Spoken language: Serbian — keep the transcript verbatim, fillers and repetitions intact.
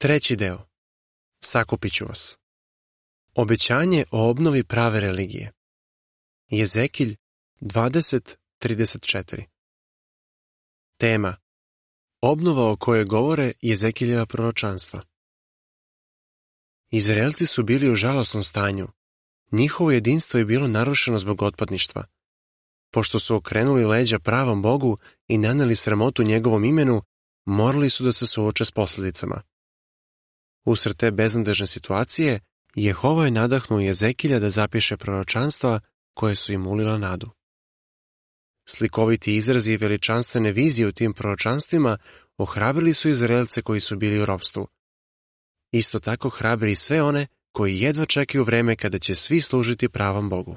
Treći deo. Sakupit ću vas. Obećanje o obnovi prave religije. Jezekilj dvadeset trideset četiri. Tema. Obnova o kojoj govore Jezekiljeva proročanstva. Izraelci su bili u žalosnom stanju. Njihovo jedinstvo je bilo narušeno zbog otpadništva. Pošto su okrenuli leđa pravom Bogu i naneli sramotu njegovom imenu, morali su da se suoče s posljedicama. Usred te beznadežne situacije, Jehova je nadahnuo Jezekilja da zapiše proročanstva koje su im ulila nadu. Slikoviti izrazi i veličanstvene vizije u tim proročanstvima ohrabrili su Izraelce koji su bili u ropstvu. Isto tako hrabri sve one koji jedva čekaju vreme kada će svi služiti pravom Bogu.